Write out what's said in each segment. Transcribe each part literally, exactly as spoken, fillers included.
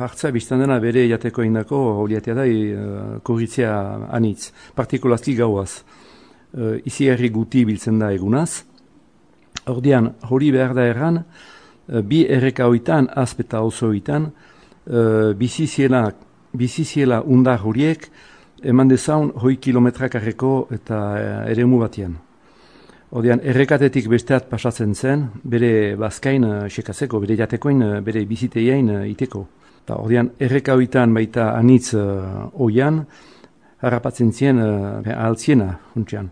hartza biztan dena bere jateko indako horiatea da e, korritzea anitz, partikulazki gauaz. E, izi herri guti biltzen da egunaz. Ordean, hori behar da erran, e, bi erreka hoitan, azpeta oso hoitan, e, biziziela, biziziela undar horiek, eman dezaun hoi kilometrakarreko eta eremu batian. Ordean, errekatetik besteat pasatzen zen, bere bazkain uh, sekatzeko, bere jatekoin, uh, bere biziteien uh, iteko. Ta, ordean, erreka hoitan baita anitz uh, oian, harrapatzen zien uh, altziena, funtsean.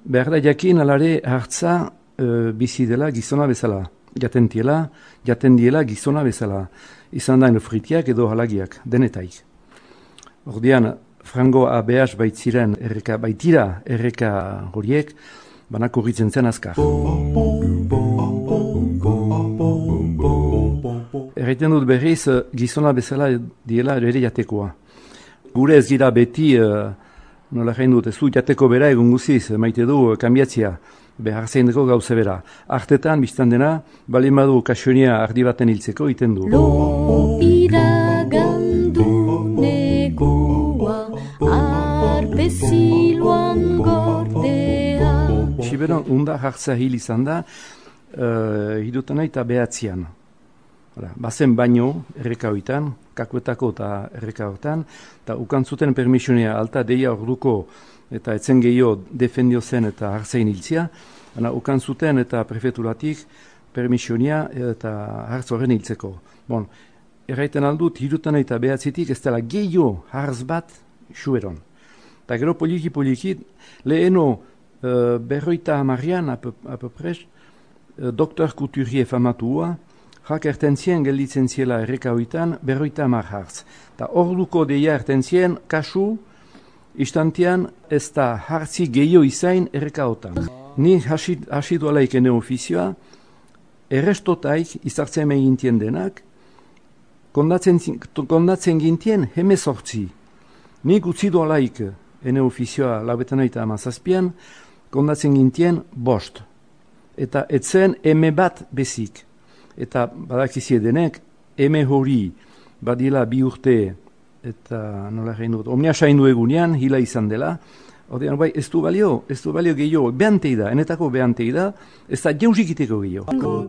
Behar da jakin alare hartza uh, bizi dela gizona bezala. Jaten diela, jaten diela gizona bezala. Izan da fritiak edo halagiak, denetaik. Ordean, frango abeaz baitziren erreka, baitira erreka horiek, banako horritzen zen azkar. Erraiten dut berriz, gizona bezala diela ere jatekoa. Gure ez gira beti, uh, nola jain dut, ez du jateko bera egun guziz, maite du kambiatzia, behar zein dugu gauze bera. Artetan, biztan dena, bali madu kasionia ardi baten hiltzeko, iten du. Lo iragandu negua, arpeziluan gordea. Siberon, unda hartza hil izan da, uh, hidutan eta behatzean. Bazen baino, erreka hoitan, kakuetako eta erreka hortan, eta ukan zuten permisionia alta deia orduko eta etzen gehiago defendio zen eta hartzain hiltzia, ana ukan zuten eta prefeturatik permisionia eta hartz horren hiltzeko. Bon, erraiten aldut, hidutan eta behatzetik ez dela gehiago hartz bat xueron. Eta gero poliki-poliki, leheno uh, berroita hamarrian, apopres, uh, doktor Couturier famatua, jak ertentzien gelditzen ziela erreka hoitan, berroita hamar hartz. Ta orduko deia ertentzien, kasu, istantean ez da hartzi gehiago izain erreka hotan. Ni hasi dualaik ene ofizioa, errestotaik izartzen egintien denak, kondatzen, kondatzen gintien hemezortzi. Nik utzi dualaik ene ofizioa laubetan oita amazazpian, kondatzen gintien bost. Eta etzen eme bat bezik. Eta badakizie denek, eme hori badila bi urte eta nola egin dut, omnia saindu egunean, hila izan dela, ordean bai, ez du balio, ez du balio gehiago, behantei da, enetako behantei da, ez da jauzikiteko gehiago.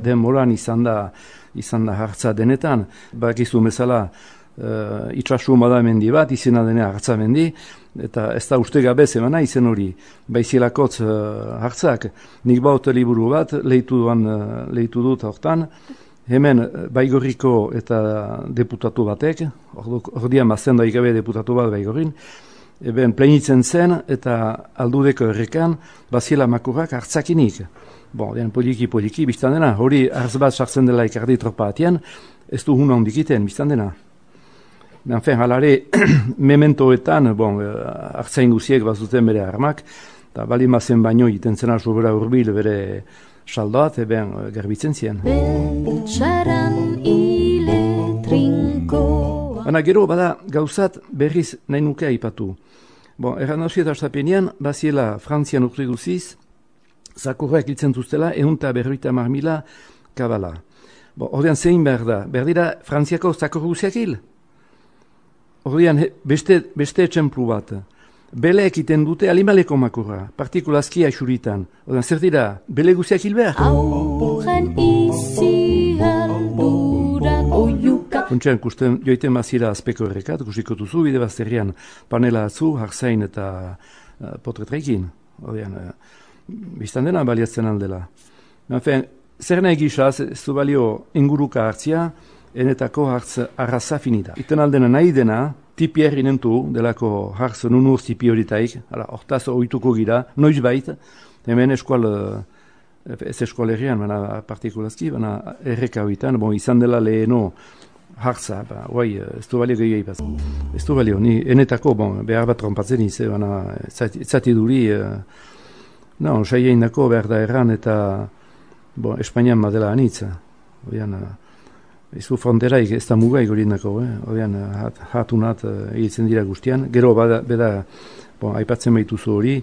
Denboran izan da, izan da hartza denetan, badakizu bezala, uh, itxasu bada mendi bat, izena dena hartza mendi, eta ez da uste gabez emana izen hori, baizielakotz uh, hartzak, nik baut liburu bat, lehitu, duan, uh, lehitu dut hortan, hemen Baigorriko eta deputatu batek, ordian bazten da ikabe deputatu bat Baigorrin, eben plenitzen zen eta aldudeko errekan baziela makurrak hartzakinik. Bon, den poliki-poliki, biztan dena, hori hartz bat sartzen dela ikardi tropa atian, ez du huna hondikiten, biztan dena. Enfin, halare, mementoetan, bon, hartzain guziek bazuten bere armak, eta bali mazen baino iten zena sobera urbil bere saldoat, eben garbitzen zien. Beltsaran ile trinkoa. Baina gero bada gauzat berriz nahi nuke aipatu. Bon, erran hausi eta sapenean, baziela Frantzian urte guziz, zakurrak hiltzen zuztela, eunta berroita marmila kabala. Bon, ordean zein behar da, behar dira Frantziako zakur guziak hil. Ordean beste, beste etxemplu bat. Bele ekiten dute alimaleko makurra, partikulazki aixuritan. Ordean zer dira, bele guziak hil behar? Aurren izi aldurak oiuka. Funtsean, kusten joiten bazira azpeko errekat, kusiko duzu, bide bazterrian panela atzu, hartzain eta uh, potretrekin. Ordean, uh, biztan dena baliatzen aldela. Enfin, zer nahi gizaz, ez du balio inguruka hartzia, enetako hartz arraza finita. Iten aldena nahi dena, tipi herri nentu, delako hartz nunur tipi horitaik, hortaz oituko gira, noiz bait, hemen eskual, ez eskual herrian, baina partikulazki, baina erreka hoitan, bon, izan dela leheno hartza, ba, guai, ez du balio gehiago ipaz. Ez du balio, ni enetako, bon, behar bat trompatzen izan, baina zati duri, no, saien dako behar da erran eta, bon, Espainian badela anitza, oian, ez du fronteraik, ez da mugaik hori nako, eh? Odean, hat, hatunat egiten dira guztian. Gero, bada, beda, bon, aipatzen baituzu hori,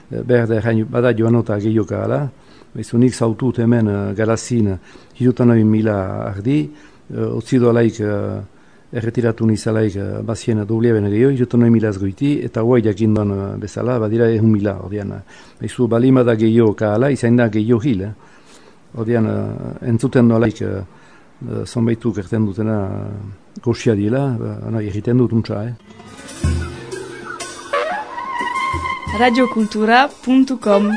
behar da, bada joanota gehioka ala. Bezu nik zautut hemen uh, garazin hirutan hori mila ardi, uh, otzido alaik uh, erretiratu nizalaik uh, bazien doblia bene gehiago, hirutan noi milaz goiti, eta guai jakinduan uh, bezala, badira ehun mila, ordean. Baizu, balima da gehiago kaala, izain da gehiago hil, eh? Ordean, uh, entzuten nolaik, uh, uh, zonbaitu kerten dutena uh, goxia dila, uh, egiten dut untsa, eh? radiokultura puntu com